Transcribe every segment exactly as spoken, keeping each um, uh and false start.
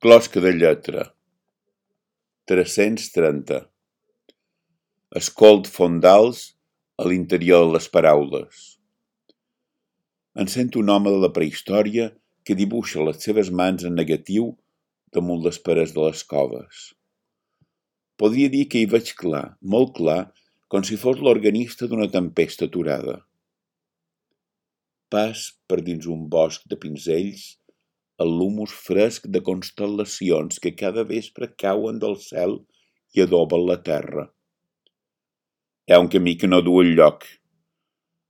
Closca de lletra. tres-cents trenta. Escolt fondals a l'interior de les paraules. Em sento un home de la prehistòria que dibuixa les seves mans en negatiu damunt les parets de les coves. Podria dir que hi veig clar, molt clar, com si fos l'organista d'una tempesta aturada. Pas per dins un bosc de pinzells el l'humus fresc de constel·lacions que cada vespre cauen del cel i adoben la terra. Hi ha un camí que no du enlloc.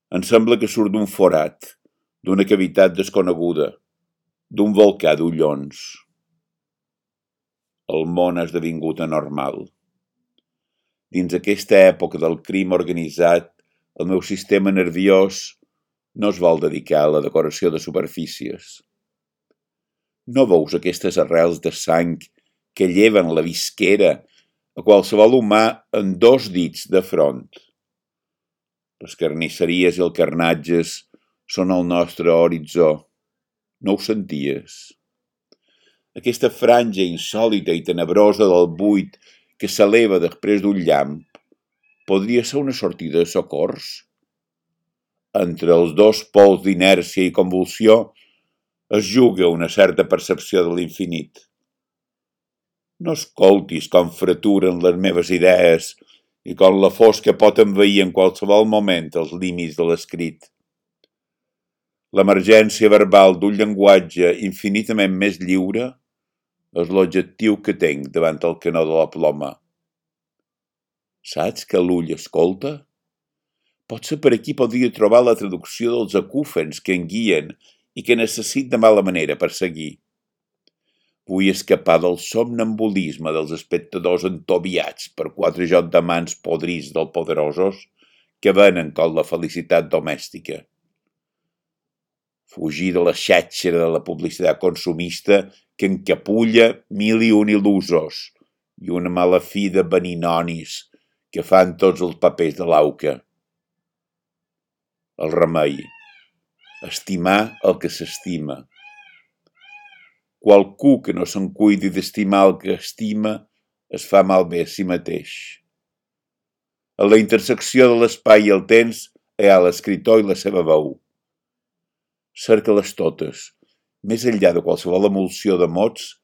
Em sembla que surt d'un forat, d'una cavitat desconeguda, d'un volcà d'ullons. El món ha esdevingut anormal. Dins aquesta època del crim organitzat, el meu sistema nerviós no es vol dedicar a la decoració de superfícies. No veus aquestes arrels de sang que lleven la visquera a qualsevol humà en dos dits de front. Les carnisseries i els carnatges són el nostre horitzó. No ho senties? Aquesta franja insòlita i tenebrosa del buit que s'eleva després d'un llamp podria ser una sortida de socors? Entre els dos pols d'inèrcia i convulsió es juga una certa percepció de l'infinit. No escoltis com fraturen les meves idees i com la fosca pot envair en qualsevol moment els límits de l'escrit. L'emergència verbal d'un llenguatge infinitament més lliure és l'objectiu que tinc davant el canó de la ploma. Saps que l'ull escolta? Potser per aquí podria trobar la traducció dels acúfens que em guien i que necessit de mala manera per seguir. Vull escapar del somnambulisme dels espectadors entobiats per quatre jocs de mans podrits dels poderosos que venen com la felicitat domèstica. Fugir de la xàtxera de la publicitat consumista que encapulla mil i un il·lusos i una mala fi de beninonis que fan tots els papers de l'auca. El remei. Estimar el que s'estima. Qualcú que no se'n cuidi d'estimar el que estima es fa malbé a si mateix. A la intersecció de l'espai i el temps hi ha l'escriptor i la seva veu. Cerca-les totes, més enllà de qualsevol emulsió de mots,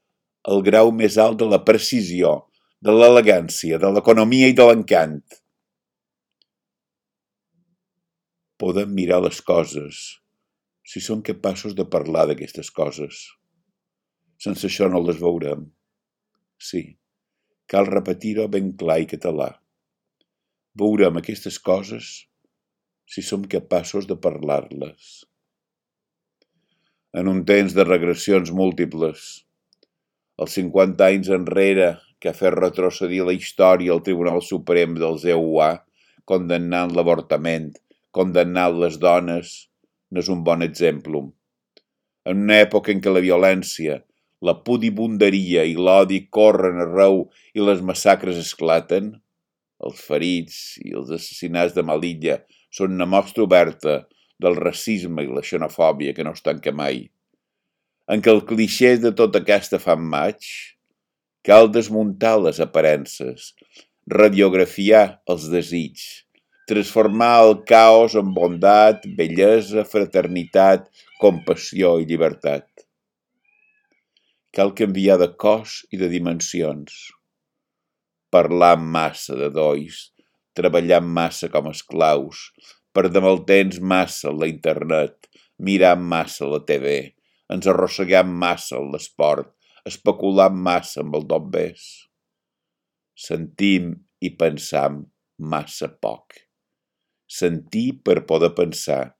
el grau més alt de la precisió, de l'elegància, de l'economia i de l'encant. Podem mirar les coses, si som capaços de parlar d'aquestes coses. Sense això no les veurem. Sí, cal repetir-ho ben clar i català. Veurem aquestes coses si som capaços de parlar-les. En un temps de regressions múltiples, els cinquanta anys enrere que ha fet retrocedir la història al Tribunal Suprem dels E U A, condemnant l'avortament, condemnant les dones, no és un bon exemple. En una època en què la violència, la pudibunderia i l'odi corren arreu i les massacres esclaten, els ferits i els assassinats de Melilla són una mostra oberta del racisme i la xenofòbia que no es tanca mai. En què els clixés de tota aquesta fan maig, cal desmuntar les aparences, radiografiar els desigs, transformar el caos en bondat, bellesa, fraternitat, compassió i llibertat. Cal canviar de cos i de dimensions. Parlar massa de dois, treballar massa com esclaus, perdem el temps massa en la internet, mirar massa la T V, ens arrosseguem massa en l'esport, especular massa amb el dobbers. Sentim i pensam massa poc. Sentir per poder pensar,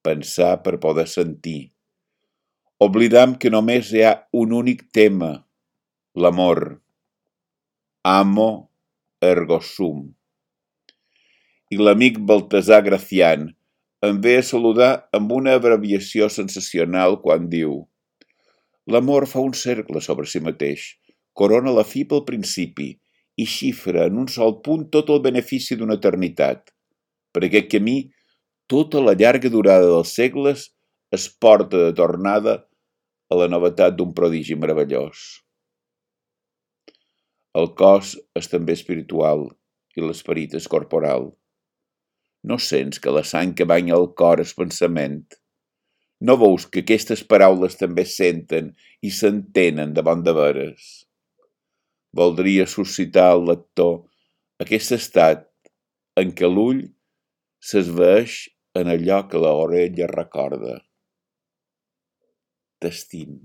pensar per poder sentir. Oblidam que només hi ha un únic tema, l'amor. Amo ergo sum. I l'amic Baltasar Gracián em ve a saludar amb una abreviació sensacional quan diu: l'amor fa un cercle sobre si mateix, corona la fi pel principi i xifra en un sol punt tot el benefici d'una eternitat. Per aquest camí, tota la llarga durada dels segles es porta de tornada a la novetat d'un prodigi meravellós. El cos és també espiritual i l'esperit és corporal. No sents que la sang que banya el cor és pensament? No veus que aquestes paraules també senten i s'entenen de bon de veres? Voldria suscitar al lector aquest estat en què l'ull s'esvaeix en allò que l'orella recorda. T'estim.